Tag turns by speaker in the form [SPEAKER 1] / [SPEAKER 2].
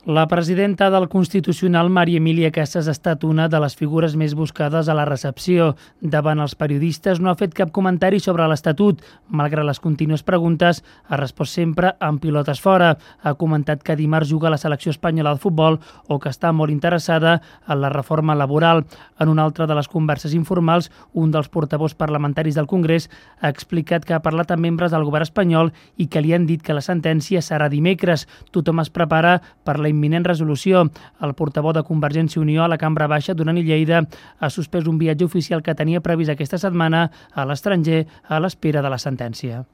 [SPEAKER 1] La presidenta del Constitucional, Maria Emília Casas, ha estat una de les figures més buscades a la recepció. Davant els periodistes no ha fet cap comentari sobre l'Estatut. Malgrat les contínues preguntes, ha respost sempre amb pilotes fora. Ha comentat que dimarts juga la selecció espanyola de futbol o que està molt interessada en la reforma laboral. En una altra de les converses informals, un dels portaveus parlamentaris del Congrés ha explicat que ha parlat amb membres del govern espanyol i que li han dit que la sentència serà dimecres. Tothom es prepara per la imminent resolució. El portaveu de Convergència i Unió a la Cambra Baixa, Duran i Lleida, ha suspès un viatge oficial que tenia previst aquesta setmana a l'estranger a l'espera de la sentència.